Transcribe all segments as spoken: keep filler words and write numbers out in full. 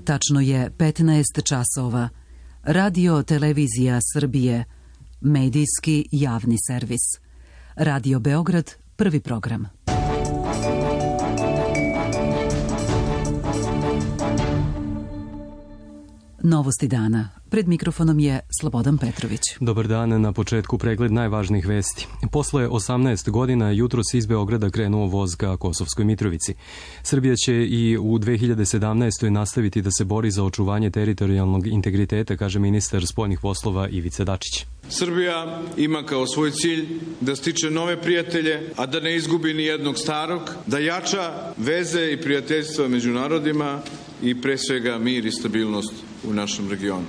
Tačno je petnaest časova. Radio Televizija Srbije, medijski javni servis. Radio Beograd, prvi program. Novosti dana. Pred mikrofonom je Slobodan Petrović. Dobar dan, na početku pregled najvažnijih vesti. Posle osamnaest godina jutros iz Beograda krenuo voz ka Kosovskoj Mitrovici. Srbija će i u dve hiljade sedamnaestoj nastaviti da se bori za očuvanje teritorijalnog integriteta, kaže ministar spoljnih poslova Ivica Dačić. Srbija ima kao svoj cilj da stiče nove prijatelje, a da ne izgubi ni jednog starog, da jača veze i prijateljstva među narodima i pre svega mir i stabilnost u našem regionu.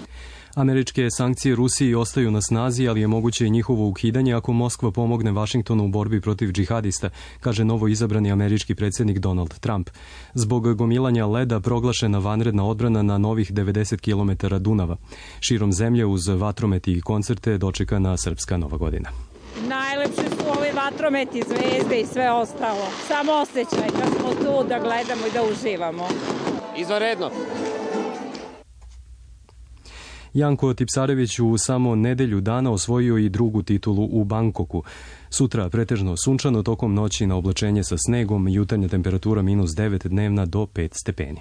Američke sankcije Rusiji ostaju na snazi, ali je moguće i njihovo ukidanje ako Moskva pomogne Vašingtonu u borbi protiv džihadista, kaže novo izabrani američki predsjednik Donald Trump. Zbog gomilanja leda proglašena vanredna odbrana na novih devedeset kilometara Dunava. Širom zemlje uz vatrometi i koncerte dočekana srpska Nova godina. Najlepše su ovi vatrometi, zvezde i sve ostalo. Samo osjećaj da smo tu, da gledamo i da uživamo. Izvanredno. Janko Tipsarević u samo nedelju dana osvojio i drugu titulu u Bangkoku. Sutra pretežno sunčano, tokom noći na oblačenje sa snegom, jutarnja temperatura minus devet, dnevna do pet stepeni.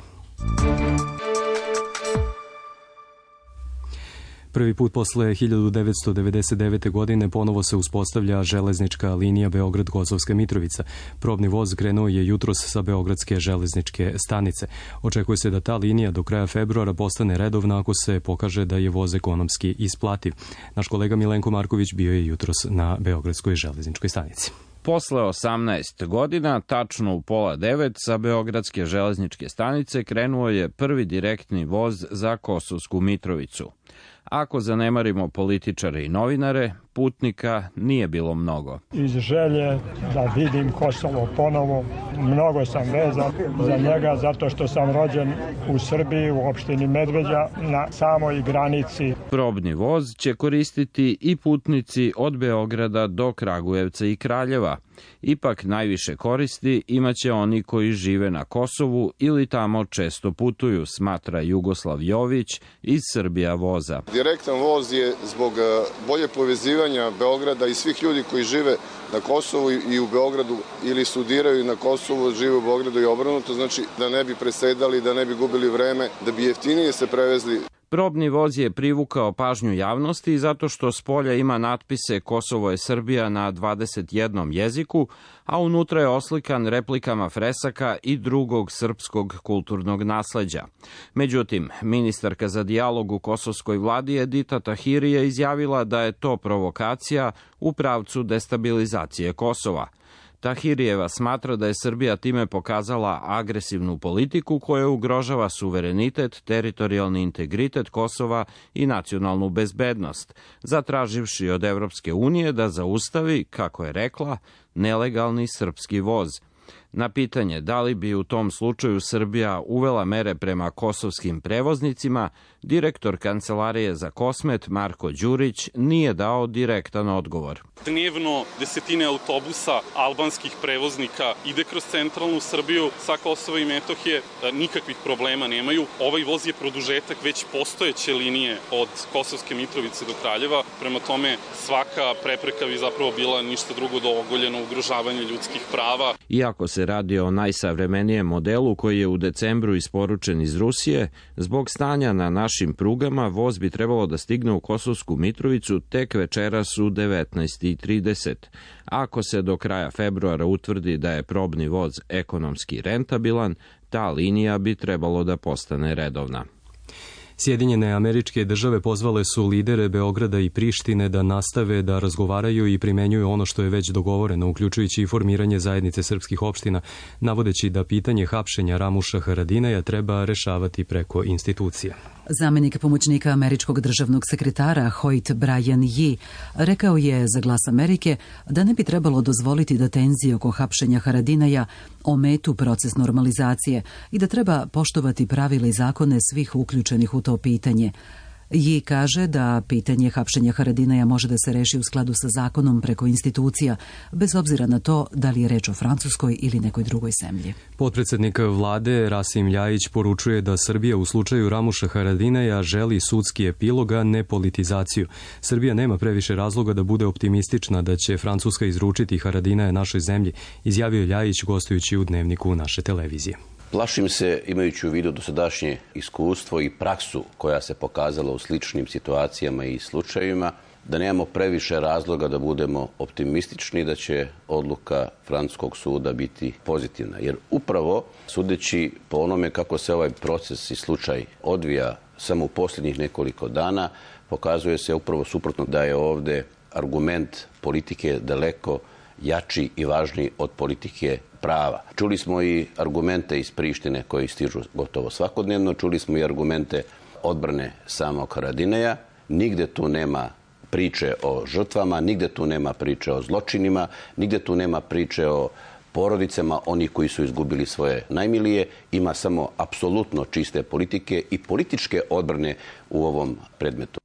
Prvi put posle hiljadu devetsto devedeset devete. godine ponovo se uspostavlja železnička linija Beograd-Kosovska Mitrovica. Probni voz krenuo je jutros sa Beogradske železničke stanice. Očekuje se da ta linija do kraja februara postane redovna ako se pokaže da je voz ekonomski isplativ. Naš kolega Milenko Marković bio je jutros na Beogradskoj železničkoj stanici. Posle osamnaest godina, tačno u pola devet, sa Beogradske železničke stanice krenuo je prvi direktni voz za Kosovsku Mitrovicu. Ako zanemarimo političare i novinare, putnika nije bilo mnogo. Iz želje da vidim Kosovo ponovo, mnogo sam vezan za njega zato što sam rođen u Srbiji, u opštini Medveđa, na samoj granici. Probni voz će koristiti i putnici od Beograda do Kragujevca i Kraljeva. Ipak najviše koristi imaće oni koji žive na Kosovu ili tamo često putuju, smatra Jugoslav Jović iz Srbija voza. Direktan voz je zbog bolje povezivanja Beograda i svih ljudi koji žive na Kosovu i u Beogradu ili studiraju na Kosovu, žive u Beogradu i obrnuto, znači da ne bi presedali, da ne bi gubili vreme, da bi jeftinije se prevezli. Probni voz je privukao pažnju javnosti zato što s polja ima natpise Kosovo je Srbija na dvadeset jednom jeziku, a unutra je oslikan replikama fresaka i drugog srpskog kulturnog nasleđa. Međutim, ministarka za dijalog u kosovskoj vladi Edita Tahiri je izjavila da je to provokacija u pravcu destabilizacije Kosova. Tahirijeva smatra da je Srbija time pokazala agresivnu politiku koja ugrožava suverenitet, teritorijalni integritet Kosova i nacionalnu bezbednost, zatraživši od Evropske unije da zaustavi, kako je rekla, nelegalni srpski voz. Na pitanje da li bi u tom slučaju Srbija uvela mere prema kosovskim prevoznicima, direktor Kancelarije za Kosmet Marko Đurić nije dao direktan odgovor. Dnevno desetine autobusa albanskih prevoznika ide kroz centralnu Srbiju sa Kosova i Metohije, nikakvih problema nemaju. Ovaj voz je produžetak već postojeće linije od Kosovske Mitrovice do Kraljeva, prema tome svaka prepreka bi zapravo bila ništa drugo do ogoljeno ugrožavanje ljudskih prava. Iako se radi o najsavremenijem modelu koji je u decembru isporučen iz Rusije, zbog stanja na našim prugama voz bi trebalo da stigne u Kosovsku Mitrovicu tek večeras u devetnaest i trideset. Ako se do kraja februara utvrdi da je probni voz ekonomski rentabilan, ta linija bi trebalo da postane redovna. Sjedinjene Američke Države pozvale su lidere Beograda i Prištine da nastave da razgovaraju i primenjuju ono što je već dogovoreno, uključujući i formiranje zajednice srpskih opština, navodeći da pitanje hapšenja Ramuša Haradinaja treba rešavati preko institucija. Zamenik pomoćnika američkog državnog sekretara Hoyt Brian Yee rekao je za Glas Amerike da ne bi trebalo dozvoliti da tenzije oko hapšenja Haradinaja ometu proces normalizacije i da treba poštovati pravila i zakone svih uključenih u to pitanje. Ji kaže da pitanje hapšenja Haradinaja može da se reši u skladu sa zakonom preko institucija, bez obzira na to da li je reč o Francuskoj ili nekoj drugoj zemlji. Potpredsednik vlade Rasim Ljajić poručuje da Srbija u slučaju Ramuša Haradinaja želi sudski epilog, a ne politizaciju. Srbija nema previše razloga da bude optimistična da će Francuska izručiti Haradinaja našoj zemlji, izjavio Ljajić gostujući u Dnevniku naše televizije. Plašim se, imajući u vidu dosadašnje iskustvo i praksu koja se pokazala u sličnim situacijama i slučajevima, da nemamo previše razloga da budemo optimistični da će odluka francuskog suda biti pozitivna. Jer upravo, sudeći po onome kako se ovaj proces i slučaj odvija samo u posljednjih nekoliko dana, pokazuje se upravo suprotno da je ovde argument politike daleko jači i važniji od politike prava. Čuli smo i argumente iz Prištine koji stižu gotovo svakodnevno, čuli smo i argumente odbrane samog Haradinaja. Nigde tu nema priče o žrtvama, nigde tu nema priče o zločinima, nigde tu nema priče o porodicama onih koji su izgubili svoje najmilije. Ima samo apsolutno čiste politike i političke odbrane u ovom predmetu.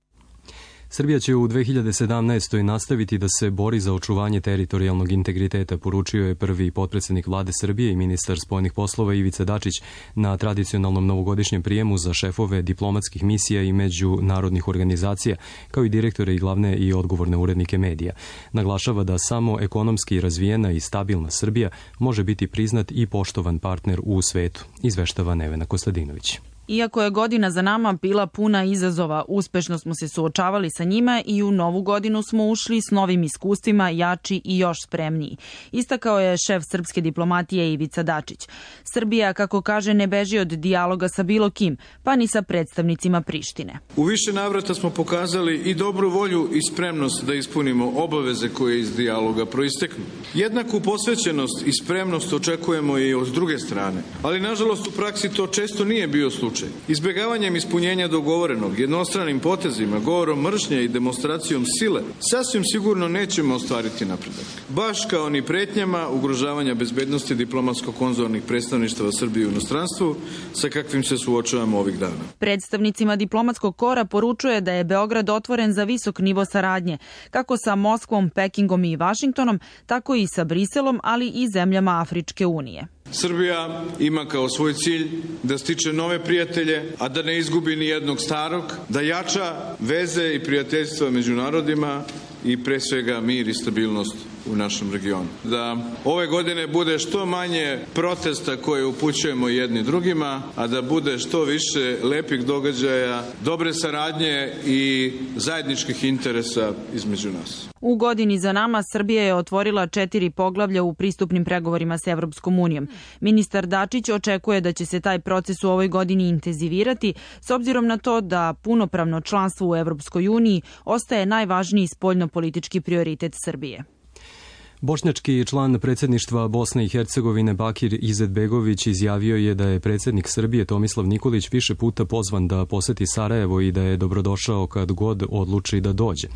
Srbija će u dve hiljade sedamnaestoj nastaviti da se bori za očuvanje teritorijalnog integriteta, poručio je prvi potpredsednik vlade Srbije i ministar spoljnih poslova Ivica Dačić na tradicionalnom novogodišnjem prijemu za šefove diplomatskih misija i međunarodnih organizacija, kao i direktore i glavne i odgovorne urednike medija. Naglašava da samo ekonomski razvijena i stabilna Srbija može biti priznat i poštovan partner u svetu, izveštava Nevena Kostadinović. Iako je godina za nama bila puna izazova, uspešno smo se suočavali sa njima i u novu godinu smo ušli s novim iskustvima, jači i još spremniji. Istakao je šef srpske diplomatije Ivica Dačić. Srbija, kako kaže, ne beži od dijaloga sa bilo kim, pa ni sa predstavnicima Prištine. U više navrata smo pokazali i dobru volju i spremnost da ispunimo obaveze koje iz dijaloga proisteknu. Jednaku posvećenost i spremnost očekujemo i od druge strane, ali nažalost u praksi to često nije bio slučaj. Izbegavanjem ispunjenja dogovorenog, jednostranim potezima, govorom mržnje i demonstracijom sile, sasvim sigurno nećemo ostvariti napredak. Baš kao ni pretnjama ugrožavanja bezbednosti diplomatsko-konzularnih predstavništava Srbije u inostranstvu, sa kakvim se suočavamo ovih dana. Predstavnicima diplomatskog kora poručuje da je Beograd otvoren za visok nivo saradnje, kako sa Moskvom, Pekingom i Vašingtonom, tako i sa Briselom, ali i zemljama Afričke unije. Srbija ima kao svoj cilj da stiče nove prijatelje, a da ne izgubi ni jednog starog, da jača veze i prijateljstva među narodima i pre svega mir i stabilnost u našem regionu. Da ove godine bude što manje protesta koje upućujemo jedni drugima, a da bude što više lepih događaja, dobre saradnje i zajedničkih interesa između nas. U godini za nama Srbija je otvorila četiri poglavlja u pristupnim pregovorima s Evropskom unijom. Ministar Dačić očekuje da će se taj proces u ovoj godini intenzivirati, s obzirom na to da punopravno članstvo u Evropskoj uniji ostaje najvažniji spoljnopolitički prioritet Srbije. Bošnjački član predsjedništva Bosne i Hercegovine Bakir Izetbegović izjavio je da je predsjednik Srbije Tomislav Nikolić više puta pozvan da poseti Sarajevo i da je dobrodošao kad god odluči da dođe.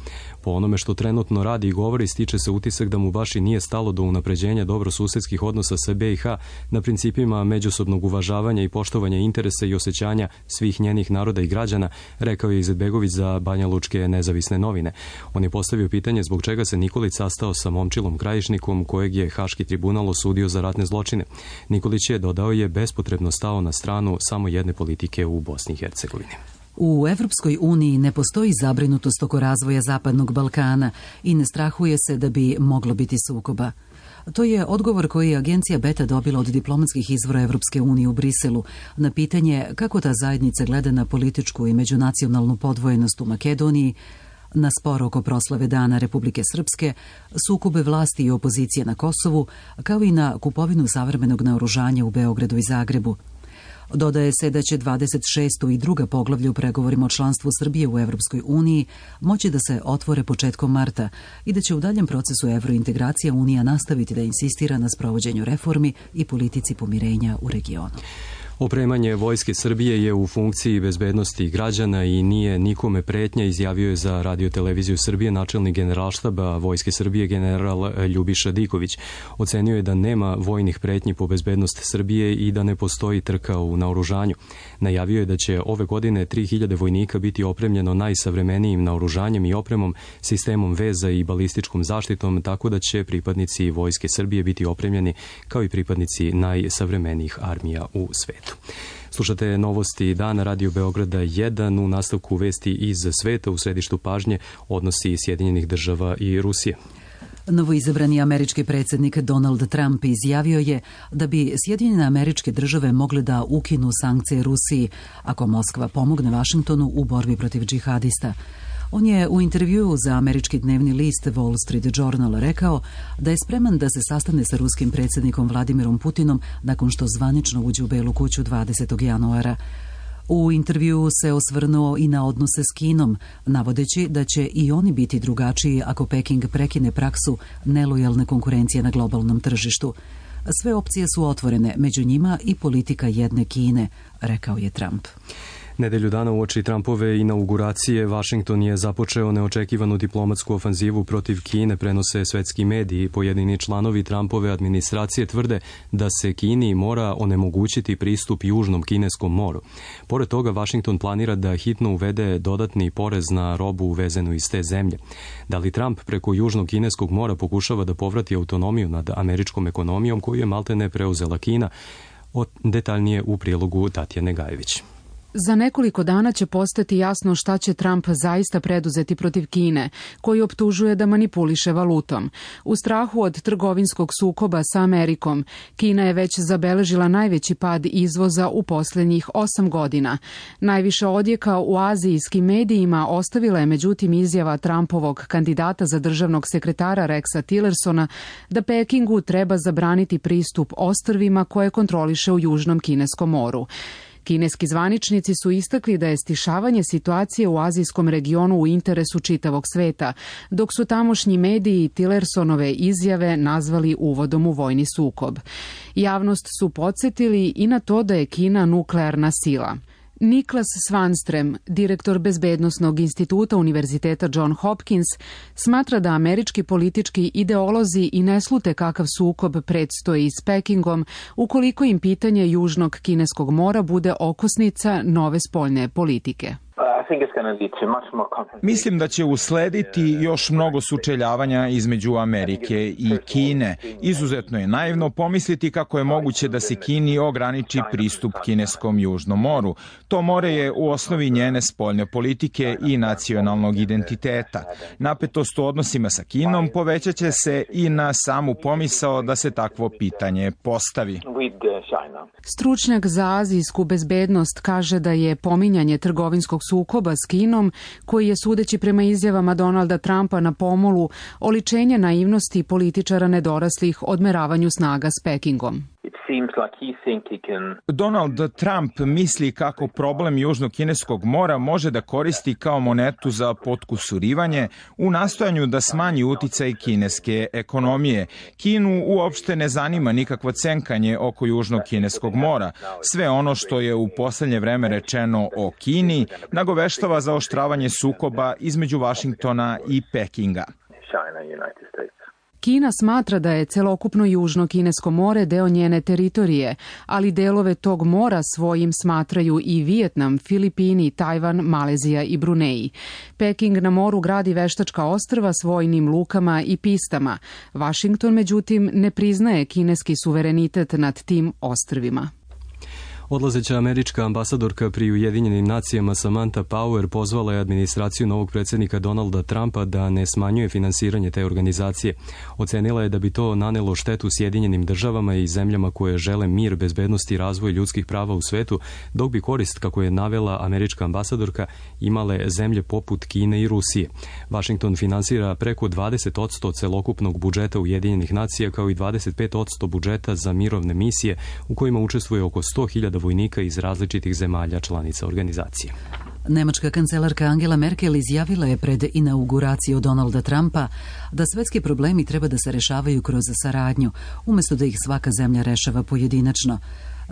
Po onome što trenutno radi i govori, stiče se utisak da mu baš i nije stalo do unapređenja dobrosusedskih odnosa sa B i H na principima međusobnog uvažavanja i poštovanja interesa i osjećanja svih njenih naroda i građana, rekao je Izetbegović za Banjalučke nezavisne novine. On je postavio pitanje zbog čega se Nikolić sastao sa Momčilom Krajišnikom, kojeg je Haški tribunal osudio za ratne zločine. Nikolić je, dodao je, bespotrebno stao na stranu samo jedne politike u Bosni i Hercegovini. U Evropskoj uniji ne postoji zabrinutost oko razvoja Zapadnog Balkana i ne strahuje se da bi moglo biti sukoba. To je odgovor koji je agencija Beta dobila od diplomatskih izvora Evropske unije u Briselu na pitanje kako ta zajednica gleda na političku i međunacionalnu podvojenost u Makedoniji, na spor oko proslave Dana Republike Srpske, sukobe vlasti i opozicije na Kosovu, kao i na kupovinu savremenog naoružanja u Beogradu i Zagrebu. Dodaje se da će dvadeset šesto i druga poglavlja u pregovorima o članstvu Srbije u Evropskoj uniji moći da se otvore početkom marta i da će u daljem procesu evrointegracija Unija nastaviti da insistira na sprovođenju reformi i politici pomirenja u regionu. Opremanje Vojske Srbije je u funkciji bezbednosti građana i nije nikome pretnja, izjavio je za Radio-televiziju Srbije načelnik Generalštaba Vojske Srbije general Ljubiša Diković. Ocenio je da nema vojnih pretnji po bezbednost Srbije i da ne postoji trka u naoružanju. Najavio je da će ove godine tri hiljade vojnika biti opremljeno najsavremenijim naoružanjem i opremom, sistemom veza i balističkom zaštitom, tako da će pripadnici Vojske Srbije biti opremljeni kao i pripadnici najsavremenijih armija u svetu. Slušate novosti dana Radio Beograda jedan, u nastavku vesti iz sveta. U središtu pažnje odnosi Sjedinjenih država i Rusije. Novoizabrani američki predsjednik Donald Trump izjavio je da bi Sjedinjene američke države mogle da ukinu sankcije Rusiji ako Moskva pomogne Vašingtonu u borbi protiv džihadista. On je u intervjuu za američki dnevni list Wall Street Journal rekao da je spreman da se sastane sa ruskim predsjednikom Vladimirom Putinom nakon što zvanično uđe u Belu kuću dvadesetog januara. U intervjuu se osvrnuo i na odnose s Kinom, navodeći da će i oni biti drugačiji ako Peking prekine praksu nelojalne konkurencije na globalnom tržištu. Sve opcije su otvorene, među njima i politika jedne Kine, rekao je Trump. Nedelju dana uoči Trumpove inauguracije, Vašington je započeo neočekivanu diplomatsku ofanzivu protiv Kine, prenose svetski mediji. Pojedini članovi Trumpove administracije tvrde da se Kini mora onemogućiti pristup Južnom kineskom moru. Pored toga, Vašington planira da hitno uvede dodatni porez na robu uvezenu iz te zemlje. Da li Trump preko Južnog kineskog mora pokušava da povrati autonomiju nad američkom ekonomijom koju je maltene preuzela Kina? Detaljnije u prilogu Tatjane Gajević. Za nekoliko dana će postati jasno šta će Trump zaista preduzeti protiv Kine, koji optužuje da manipuliše valutom. U strahu od trgovinskog sukoba sa Amerikom, Kina je već zabeležila najveći pad izvoza u posljednjih osam godina. Najviše odjeka u azijskim medijima ostavila je međutim izjava Trumpovog kandidata za državnog sekretara Rexa Tillersona da Pekingu treba zabraniti pristup ostrvima koje kontroliše u Južnom kineskom moru. Kineski zvaničnici su istakli da je stišavanje situacije u azijskom regionu u interesu čitavog sveta, dok su tamošnji mediji Tillersonove izjave nazvali uvodom u vojni sukob. Javnost su podsjetili i na to da je Kina nuklearna sila. Niklas Svanström, direktor Bezbednosnog instituta Univerziteta John Hopkins, smatra da američki politički ideolozi i ne slute kakav sukob predstoji s Pekingom ukoliko im pitanje Južnog kineskog mora bude okosnica nove spoljne politike. Mislim da će uslediti još mnogo sučeljavanja između Amerike i Kine. Izuzetno je naivno pomisliti kako je moguće da se Kini ograniči pristup kineskom Južnom moru. To more je u osnovi njene spoljne politike i nacionalnog identiteta. Napetost u odnosima sa Kinom povećat će se i na samu pomisao da se takvo pitanje postavi. Stručnjak za azijsku bezbednost kaže da je pominjanje trgovinskog sukoba s Kinom, koji je sudeći prema izjavama Donalda Trumpa na pomolu, oličenje naivnosti političara nedoraslih odmeravanju snaga s Pekingom. Donald Trump misli kako problem Južnog kineskog mora može da koristi kao monetu za potkusurivanje u nastojanju da smanji uticaj kineske ekonomije. Kinu uopšte ne zanima nikakvo cenkanje oko Južnog kineskog mora. Sve ono što je u poslednje vreme rečeno o Kini nagoveštava zaoštravanje sukoba između Vašingtona i Pekinga. Kina smatra da je celokupno Južno kinesko more deo njene teritorije, ali delove tog mora svojim smatraju i Vijetnam, Filipini, Tajvan, Malezija i Bruneji. Peking na moru gradi veštačka ostrva s vojnim lukama i pistama. Vašington, međutim, ne priznaje kineski suverenitet nad tim ostrvima. Odlazeća američka ambasadorka pri Ujedinjenim nacijama Samantha Power pozvala je administraciju novog predsjednika Donalda Trumpa da ne smanjuje finansiranje te organizacije. Ocenila je da bi to nanelo štetu Sjedinjenim državama i zemljama koje žele mir, bezbednost i razvoj ljudskih prava u svetu, dok bi korist, kako je navela američka ambasadorka, imale zemlje poput Kine i Rusije. Washington finansira preko dvadeset posto celokupnog budžeta Ujedinjenih nacija kao i dvadeset pet posto budžeta za mirovne misije u kojima učestvuje oko sto hiljada vojnika iz različitih zemalja članica organizacije. Nemačka kancelarka Angela Merkel izjavila je pred inauguraciju Donalda Trumpa da svetski problemi treba da se rešavaju kroz saradnju, umjesto da ih svaka zemlja rešava pojedinačno.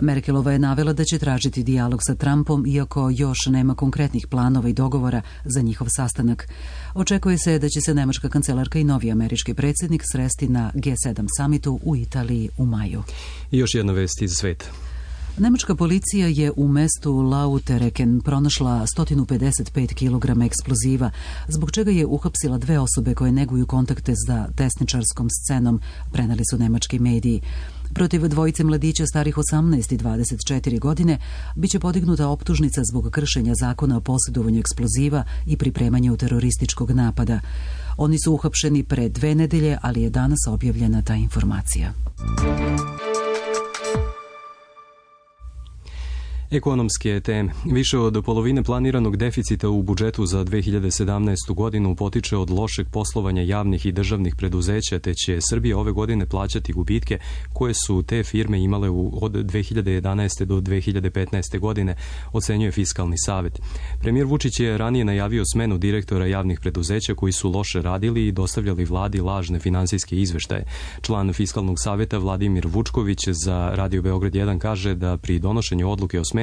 Merkelova je navela da će tražiti dijalog sa Trumpom, iako još nema konkretnih planova i dogovora za njihov sastanak. Očekuje se da će se nemačka kancelarka i novi američki predsjednik sresti na G sedam samitu u Italiji u maju. I još jedna vest iz sveta. Nemačka policija je u mestu Lautereken pronašla sto pedeset pet kilograma eksploziva, zbog čega je uhapsila dve osobe koje neguju kontakte sa desničarskom scenom, preneli su nemački mediji. Protiv dvojice mladića starih osamnaest i dvadeset četiri godine biće podignuta optužnica zbog kršenja zakona o posjedovanju eksploziva i pripremanju terorističkog napada. Oni su uhapšeni pre dve nedelje, ali je danas objavljena ta informacija. Ekonomske teme. Više od polovine planiranog deficita u budžetu za dve hiljade sedamnaestu. godinu potiče od lošeg poslovanja javnih i državnih preduzeća, te će Srbija ove godine plaćati gubitke koje su te firme imale u, od dve hiljade jedanaeste. do dve hiljade petnaeste. godine, ocenjuje Fiskalni savet. Premijer Vučić je ranije najavio smenu direktora javnih preduzeća koji su loše radili i dostavljali vladi lažne finansijske izveštaje. Član Fiskalnog saveta Vladimir Vučković za Radio Beograd jedan kaže da pri donošenju odluke o smeni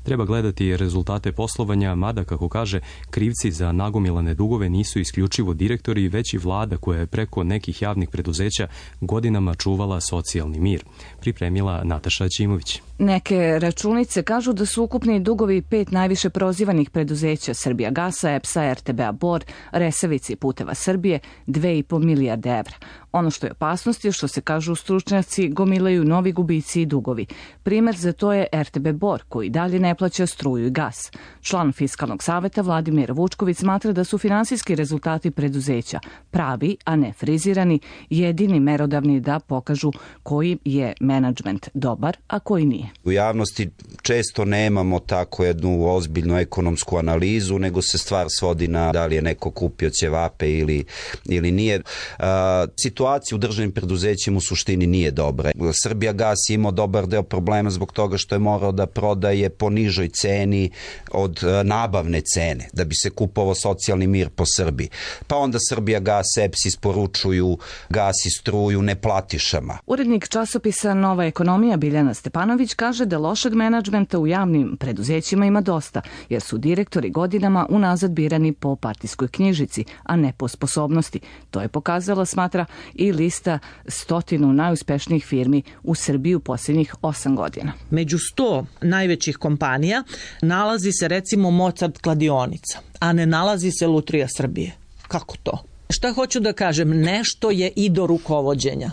treba gledati rezultate poslovanja, mada, kako kaže, krivci za nagomilane dugove nisu isključivo direktori, već i vlada koja je preko nekih javnih preduzeća godinama čuvala socijalni mir. Pripremila Nataša Ćimović. Neke računice kažu da su ukupni dugovi pet najviše prozivanih preduzeća Srbijagasa, E P S-a, R T B-a Bor, Resavice i Puteva Srbije dve i po milijarde evra. Ono što je opasnost je što se, kažu stručnjaci, gomilaju novi gubici i dugovi. Primer za to je R T B Bor, koji dalje ne plaća struju i gas. Član Fiskalnog saveta Vladimir Vučković smatra da su finansijski rezultati preduzeća pravi, a ne frizirani, jedini merodavni da pokažu koji je menadžment dobar, a koji nije. U javnosti često nemamo tako jednu ozbiljnu ekonomsku analizu, nego se stvar svodi na da li je neko kupio ćevape ili, ili nije. A, situacija u državnim preduzećima u suštini nije dobra. Srbijagas je imao dobar deo problema zbog toga što je morao da prodaje po nižoj ceni od nabavne cene, da bi se kupovao socijalni mir po Srbiji. Pa onda Srbijagas, E P S isporučuju gas i struju neplatišama. Urednik časopisa Nova ekonomija Biljana Stepanović kaže da lošeg menadžmenta u javnim preduzećima ima dosta, jer su direktori godinama unazad birani po partijskoj knjižici, a ne po sposobnosti. To je pokazala, smatra, i lista stotinu najuspešnijih firmi u Srbiji u posljednjih osam godina. Među sto najvećih kompanija nalazi se recimo Mozart kladionica, a ne nalazi se Lutrija Srbije. Kako to? Šta hoću da kažem? Nešto je i do rukovođenja.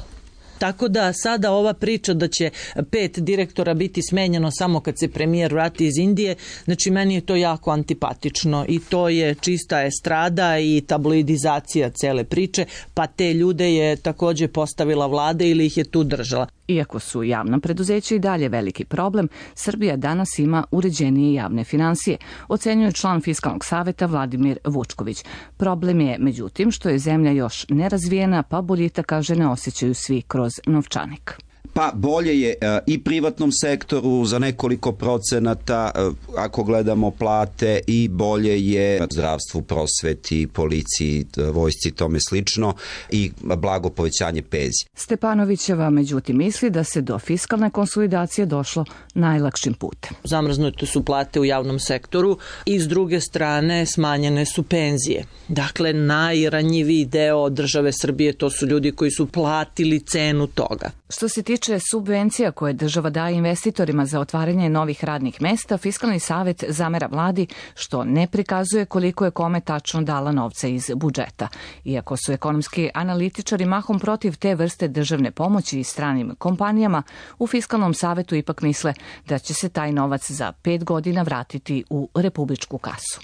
Tako da sada ova priča da će pet direktora biti smenjeno samo kad se premijer vrati iz Indije, znači meni je to jako antipatično i to je čista estrada i tabloidizacija cele priče, pa te ljude je takođe postavila vlada ili ih je tu držala. Iako su javna preduzeća i dalje veliki problem, Srbija danas ima uređenije javne finansije, ocenjuje član Fiskalnog saveta Vladimir Vučković. Problem je, međutim, što je zemlja još nerazvijena, pa boljitak, kaže, ne osjećaju svi kroz novčanik. Pa bolje je i privatnom sektoru za nekoliko procenata ako gledamo plate i bolje je zdravstvu, prosveti, policiji, vojsci i tome slično i blago povećanje penzija. Stepanovićeva međutim misli da se do fiskalne konsolidacije došlo najlakšim putem. Zamrznute su plate u javnom sektoru i s druge strane smanjene su penzije. Dakle, najranjiviji deo države Srbije to su ljudi koji su platili cenu toga. Što se tiče subvencija koje država daje investitorima za otvaranje novih radnih mesta, Fiskalni savet zamera vladi što ne prikazuje koliko je kome tačno dala novca iz budžeta. Iako su ekonomski analitičari mahom protiv te vrste državne pomoći i stranim kompanijama, u Fiskalnom savetu ipak misle da će se taj novac za pet godina vratiti u republičku kasu.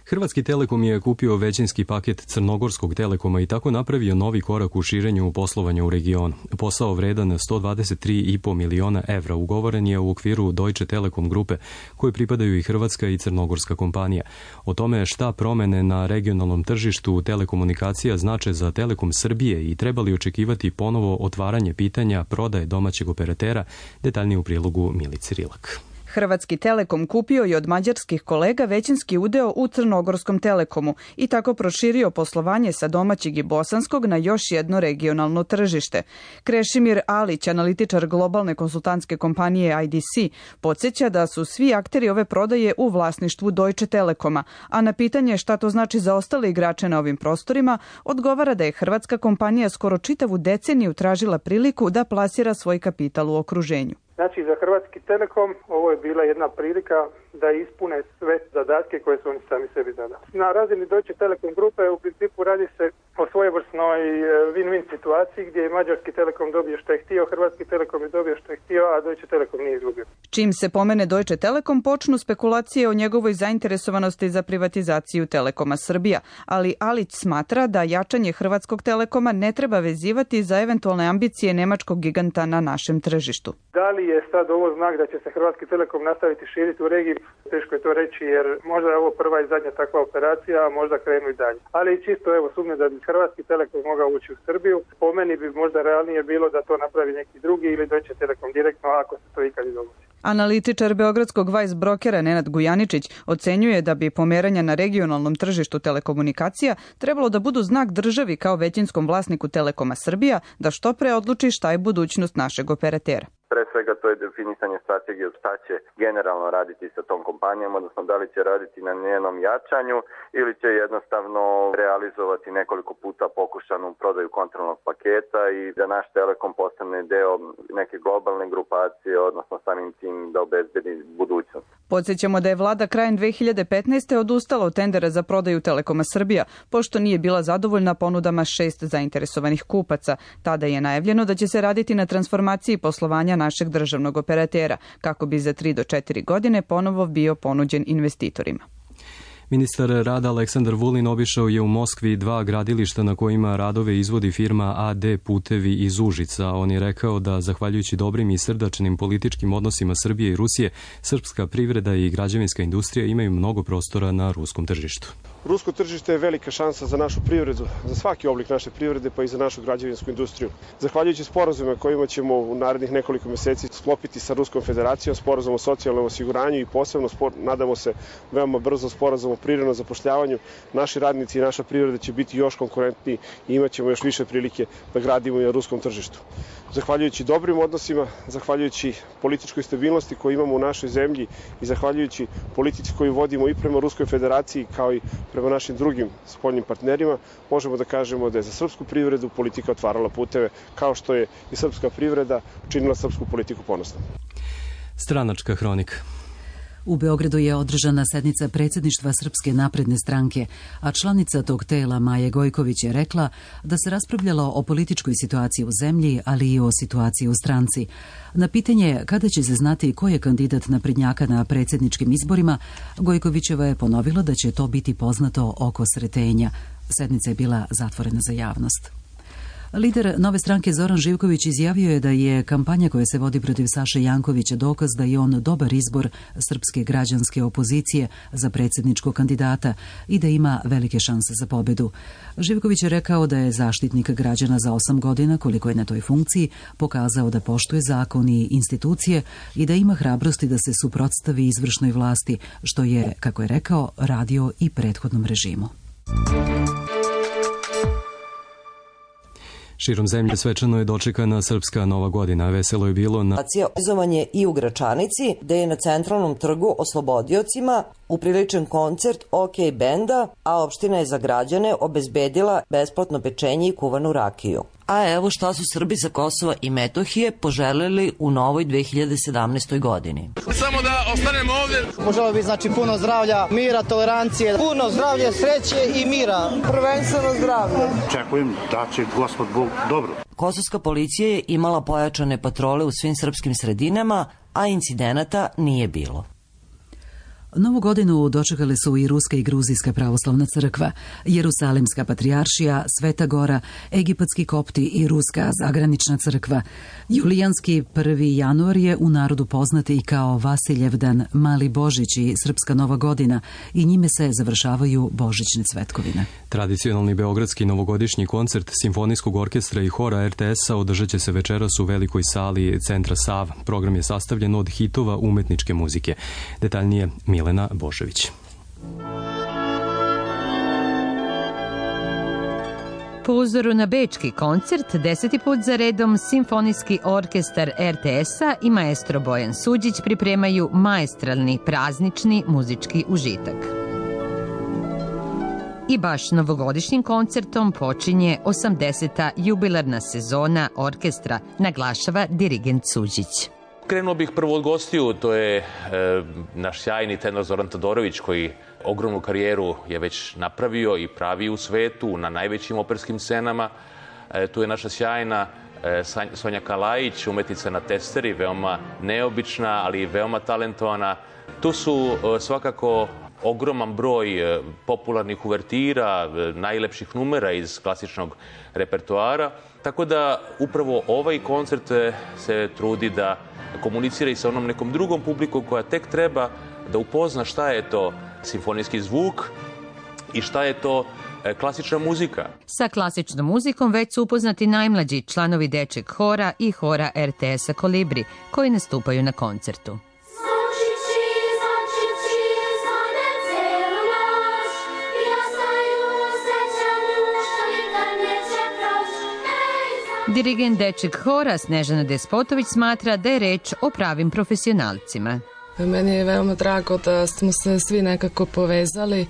Hrvatski Telekom je kupio većinski paket Crnogorskog Telekoma i tako napravio novi korak u širenju poslovanja u regionu. Posao vredan sto dvadeset tri i po miliona evra ugovoren je u okviru Deutsche Telekom grupe, koje pripadaju i hrvatska i crnogorska kompanija. O tome šta promene na regionalnom tržištu telekomunikacija znače za Telekom Srbije i trebali očekivati ponovo otvaranje pitanja prodaje domaćeg operatera, detaljnije u prilogu Milice Rilak. Hrvatski Telekom kupio je od mađarskih kolega većinski udeo u Crnogorskom Telekomu i tako proširio poslovanje sa domaćeg i bosanskog na još jedno regionalno tržište. Krešimir Alić, analitičar globalne konsultantske kompanije I D C, podsjeća da su svi akteri ove prodaje u vlasništvu Deutsche Telekoma, a na pitanje šta to znači za ostale igrače na ovim prostorima, odgovara da je hrvatska kompanija skoro čitavu deceniju tražila priliku da plasira svoj kapital u okruženju. Znači, za Hrvatski Telekom ovo je bila jedna prilika da ispune sve zadatke koje su oni sami sebi zadali. Na razini Deutsche Telekom grupe u principu radi se o svojevrsnoj win-win situaciji gdje je Mađarski Telekom dobio što je htio, Hrvatski Telekom je dobio što je htio, a Deutsche Telekom nije izgubio. Čim se pomene Deutsche Telekom, počnu spekulacije o njegovoj zainteresovanosti za privatizaciju Telekoma Srbija, ali Alić smatra da jačanje Hrvatskog Telekoma ne treba vezivati za eventualne ambicije nemačkog giganta na našem tržištu. Da li je sad ovo znak da će se Hrvatski Telekom nastaviti širiti u regiji? Teško je to reći jer možda je ovo prva i zadnja takva operacija, a možda krenu i dalje. Ali čisto evo sumnje da bi Hrvatski Telekom mogao ući u Srbiju. Po meni bi možda realnije bilo da to napravi neki drugi ili Deutsche Telekom direktno ako se to ikad i dogodi. Analitičar beogradskog Vice brokera Nenad Gujaničić ocenjuje da bi pomeranja na regionalnom tržištu telekomunikacija trebalo da budu znak državi kao većinskom vlasniku Telekoma Srbija da što pre odluči šta je budućnost našeg operatera. Pre svega to je definisanje strategije šta će generalno raditi sa tom kompanijom, odnosno da li će raditi na njenom jačanju ili će jednostavno realizovati nekoliko puta pokušanu prodaju kontrolnog paketa i da naš Telekom postane deo neke globalne grupacije, odnosno samim tim da obezbedi budućnost. Podsjećamo da je vlada krajem dve hiljade petnaeste odustala od tendera za prodaju Telekoma Srbija, pošto nije bila zadovoljna ponudama šest zainteresovanih kupaca. Tada je najavljeno da će se raditi na transformaciji poslovanja našeg državnog operatera, kako bi za tri do četiri godine ponovo bio ponuđen investitorima. Ministar rada Aleksandar Vulin obišao je u Moskvi dva gradilišta na kojima radove izvodi firma A D Putevi iz Užica. On je rekao da, zahvaljujući dobrim i srdačnim političkim odnosima Srbije i Rusije, srpska privreda i građevinska industrija imaju mnogo prostora na ruskom tržištu. Rusko tržište je velika šansa za našu privredu, za svaki oblik naše privrede, pa i za našu građevinsku industriju. Zahvaljujući sporazumima kojima ćemo u narednih nekoliko meseci sklopiti sa Ruskom federacijom, sporazum o socijalnom osiguranju i posebno, spor, nadamo se, veoma brzo sporazum o prirodnom zapošljavanju, naši radnici i naša privreda će biti još konkurentniji i imat ćemo još više prilike da gradimo i na ruskom tržištu. Zahvaljujući dobrim odnosima, zahvaljujući političkoj stabilnosti koju imamo u našoj zemlji i zahvaljujući politici koju vodimo i prema Ruskoj federaciji kao i prema našim drugim spoljnim partnerima, možemo da kažemo da je za srpsku privredu politika otvarala puteve, kao što je i srpska privreda učinila srpsku politiku ponosnom. Stranačka hronika. U Beogradu je održana sednica predsjedništva Srpske napredne stranke, a članica tog tela Maja Gojković je rekla da se raspravljalo o političkoj situaciji u zemlji, ali i o situaciji u stranci. Na pitanje kada će se znati ko je kandidat naprednjaka na predsjedničkim izborima, Gojkovićeva je ponovila da će to biti poznato oko Sretenja. Sednica je bila zatvorena za javnost. Lider Nove stranke Zoran Živković izjavio je da je kampanja koja se vodi protiv Saše Jankovića dokaz da je on dobar izbor srpske građanske opozicije za predsjedničkog kandidata i da ima velike šanse za pobedu. Živković je rekao da je zaštitnik građana za osam godina, koliko je na toj funkciji, pokazao da poštuje zakon i institucije i da ima hrabrosti da se suprotstavi izvršnoj vlasti, što je, kako je rekao, radio i prethodnom režimu. Širom zemlje svečano je dočekana srpska nova godina. Veselo je bilo na... Organizovan i u Gračanici, gde je na centralnom trgu oslobodiocima upriličen koncert OK benda, a opština je za građane obezbedila besplatno pečenje i kuvanu rakiju. A evo šta su Srbi sa Kosova i Metohije poželeli u novoj dve hiljade sedamnaestoj godini. Samo da ostanemo ovdje. Poželeo bi znači puno zdravlja, mira, tolerancije, puno zdravlja, sreće i mira. Prvenstveno zdravlje. Čekujem da će Gospod Bog dobro. Kosovska policija je imala pojačane patrole u svim srpskim sredinama, a incidenata nije bilo. Novu godinu dočekale su i Ruska i Gruzijska pravoslavna crkva, Jerusalimska patrijaršija, Sveta Gora, Egipatski kopti i Ruska zagranična crkva. Julijanski prvi januar je u narodu poznati i kao Vasiljevdan, Mali Božić i Srpska Nova godina i njime se završavaju božićne cvetkovine. Tradicionalni beogradski novogodišnji koncert Simfonijskog orkestra i hora er te es-a održat će se večeras u velikoj sali Centra Sava. Program je sastavljen od hitova umetničke muzike. Detaljnije Milena Božević. Po uzoru na bečki koncert, deseti put za redom Simfonijski orkestar er te es-a i maestro Bojan Suđić pripremaju maestralni praznični muzički užitak. I baš novogodišnjim koncertom počinje osamdeseta jubilarna sezona orkestra, naglašava dirigent Suđić. Krenuo bih prvo od gostiju, to je e, naš sjajni tenor Zoran Todorović koji ogromnu karijeru je već napravio i pravi u svetu na najvećim operskim scenama. E, tu je naša sjajna e, Sonja Kalajić, umetnica na testeri, veoma neobična, ali veoma talentovana. Tu su e, svakako ogroman broj e, popularnih uvertira, e, najlepših numera iz klasičnog repertoara. Tako da upravo ovaj koncert se trudi da komunicira i sa onom nekom drugom publikom koja tek treba da upozna šta je to simfonijski zvuk i šta je to klasična muzika. Sa klasičnom muzikom već su upoznati najmlađi članovi dečeg hora i hora er te es-a Kolibri koji nastupaju na koncertu. Dirigent dečeg hora Snežana Despotović smatra da je reč o pravim profesionalcima. Meni je veoma drago da smo se svi nekako povezali,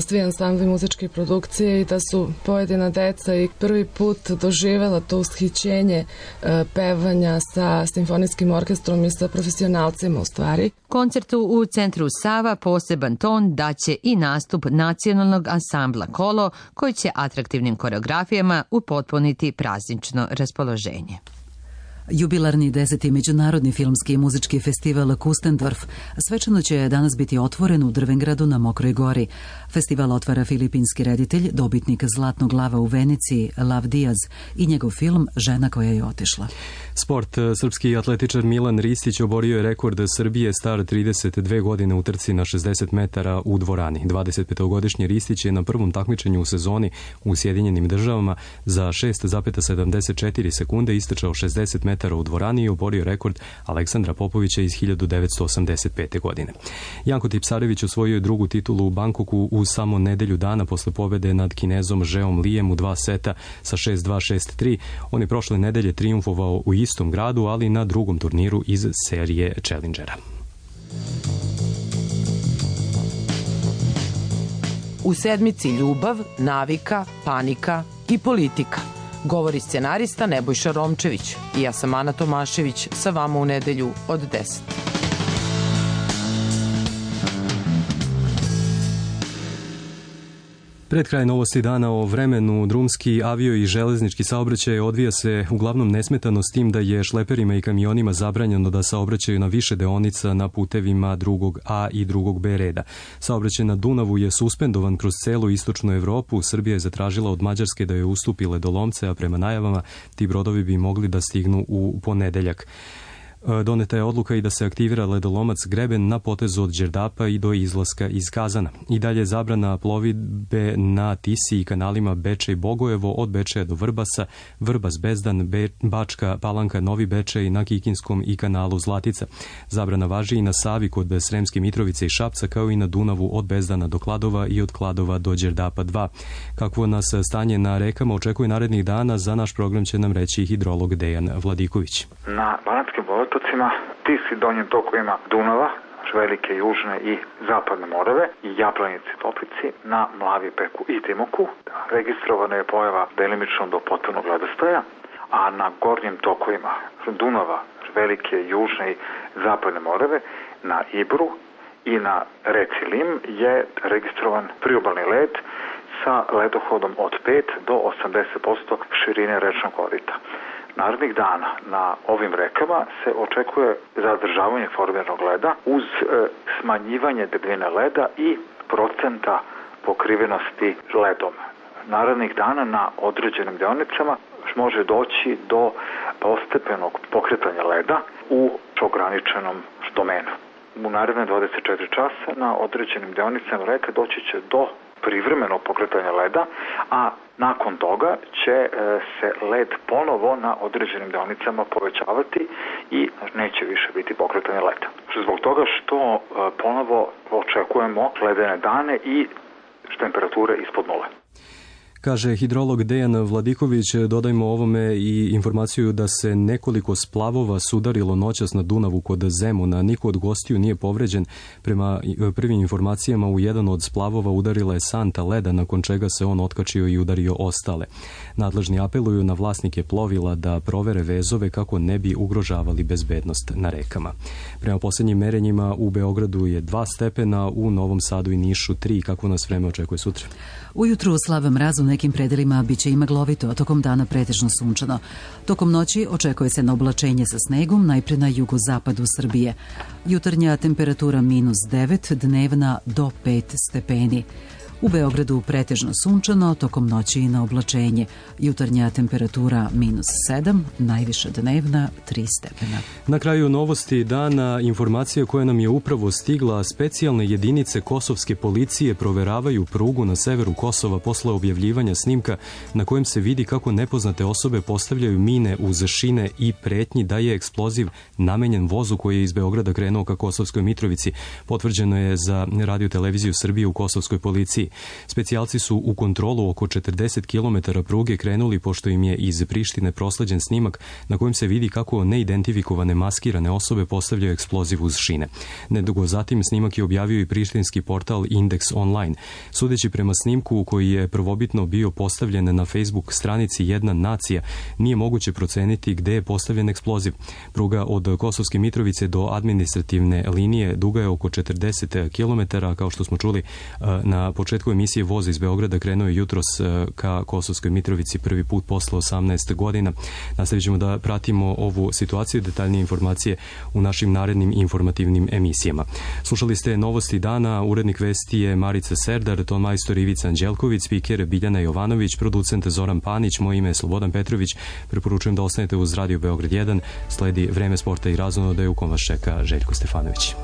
svi ansambli muzičke produkcije i da su pojedina deca i prvi put doživela to ushićenje pevanja sa simfonijskim orkestrom i sa profesionalcima u stvari. Koncertu u Centru Sava poseban ton daće i nastup nacionalnog ansambla Kolo koji će atraktivnim koreografijama upotpuniti praznično raspoloženje. Jubilarni deseti međunarodni filmski i muzički festival Kustendorf svečano će danas biti otvoren u Drvengradu na Mokroj gori. Festival otvara filipinski reditelj, dobitnik Zlatnog lava u Veneciji, Lav Diaz i njegov film Žena koja je otišla. Sport. Srpski atletičar Milan Ristić oborio je rekord Srbije star trideset dve godine u trci na šezdeset metara u dvorani. dvadesetpetogodišnji Ristić je na prvom takmičenju u sezoni u Sjedinjenim državama za šest zarez sedamdeset četiri sekunde istrčao šezdeset metara u dvorani i oborio rekord Aleksandra Popovića iz hiljadu devetsto osamdeset pete. godine. Janko Tipsarević osvojio je drugu titulu u Bankoku u samo nedelju dana posle pobede nad Kinezom Žeom Lijem u dva seta sa šest dva šest tri. On je prošle nedelje trijumfovao u istom gradu, ali na drugom turniru iz serije Challengera. U sedmici ljubav, navika, panika i politika. Govori scenarista Nebojša Romčević i ja sam Ana Tomašević sa vama u nedelju od deset. Pred kraj novosti dana o vremenu, drumski, avio i železnički saobraćaj odvija se uglavnom nesmetano s tim da je šleperima i kamionima zabranjeno da saobraćaju na više deonica na putevima drugog A i drugog B reda. Saobraćaj na Dunavu je suspendovan kroz celu istočnu Evropu. Srbija je zatražila od Mađarske da joj ustupi ledolomce, a prema najavama ti brodovi bi mogli da stignu u ponedeljak. Doneta je odluka i da se aktivira ledolomac Greben na potezu od Đerdapa i do izlaska iz Kazana. I dalje zabrana plovidbe na Tisi i kanalima Bečej Bogojevo od Bečeja do Vrbasa, Vrbas Bezdan, Be, Bačka Palanka, Novi Bečej na Kikinskom i kanalu Zlatica. Zabrana važi i na Savi kod Sremske Mitrovice i Šapca, kao i na Dunavu od Bezdana do Kladova i od Kladova do Đerdapa dva. Kakvo nas stanje na rekama očekuje narednih dana, za naš program će nam reći hidrolog Dejan Vladiković. Na Banatskim otocima, Tisi, donjim tokovima Dunava, velike južne i zapadne Morave i Jablanici, Toplici, na Mlavi Peku i Timoku. Registrovana je pojava delimično do potpunog ledostaja, a na gornjim tokovima Dunava, velike južne i zapadne Morave, na Ibru i na reci Lim je registrovan priobalni led sa ledohodom od pet do osamdeset posto širine rečnog korita. Narednih dana na ovim rekama se očekuje zadržavanje formiranog leda uz e, smanjivanje debljine leda i procenta pokrivenosti ledom. Narednih dana na određenim deonicama može doći do postepenog pokretanja leda u ograničenom domenu. U naredne dvadeset četiri časa na određenim deonicama reke doći će do privremenog pokretanja leda, a nakon toga će se led ponovo na određenim deonicama povećavati i neće više biti pokretanje leda. Zbog toga što ponovo očekujemo ledene dane i temperature ispod nule. Kaže hidrolog Dejan Vladiković. Dodajmo ovome i informaciju da se nekoliko splavova sudarilo noćas na Dunavu kod Zemuna. Niko od gostiju nije povređen. Prema prvim informacijama u jedan od splavova udarila je santa leda, nakon čega se on otkačio i udario ostale. Nadležni apeluju na vlasnike plovila da provere vezove kako ne bi ugrožavali bezbednost na rekama. Prema posljednjim merenjima u Beogradu je dva stepena, u Novom Sadu i Nišu tri. Kako nas vreme očekuje sutra? Ujutru slab mraz u nekim predelima biće i maglovito, a tokom dana pretežno sunčano. Tokom noći očekuje se na oblačenje sa snegom, najpre na jugozapadu Srbije. Jutarnja temperatura minus devet, dnevna do pet stepeni. U Beogradu pretežno sunčano, tokom noći i na oblačenje. Jutarnja temperatura minus sedam, najviša dnevna tri stepena. Na kraju novosti dana informacija koja nam je upravo stigla. Specijalne jedinice kosovske policije proveravaju prugu na severu Kosova posle objavljivanja snimka na kojem se vidi kako nepoznate osobe postavljaju mine uz šine i pretnji da je eksploziv namenjen vozu koji je iz Beograda krenuo ka Kosovskoj Mitrovici. Potvrđeno je za Radio televiziju Srbije u kosovskoj policiji. Specijalci su u kontrolu oko četrdeset kilometara pruge krenuli pošto im je iz Prištine prosleđen snimak na kojem se vidi kako neidentifikovane maskirane osobe postavljaju eksploziv uz šine. Nedugo zatim snimak je objavio i prištinski portal Indeks Online. Sudeći prema snimku koji je prvobitno bio postavljen na Facebook stranici Jedna nacija, nije moguće proceniti gde je postavljen eksploziv. Pruga od Kosovske Mitrovice do administrativne linije duga je oko četrdeset kilometara, kao što smo čuli na početku emisije voz iz Beograda krenuo je jutros ka Kosovskoj Mitrovici prvi put posle osamnaest godina. Nastavit ćemo da pratimo ovu situaciju i detaljnije informacije u našim narednim informativnim emisijama. Slušali ste novosti dana, urednik vesti je Marica Serdar, ton majstor Ivica Anđelković, spiker Biljana Jovanović, producent Zoran Panić, moje ime je Slobodan Petrović. Preporučujem da ostanete uz Radio Beograd jedan, sledi vreme sporta i razonodaje u kom vas čeka Željko Stefanović.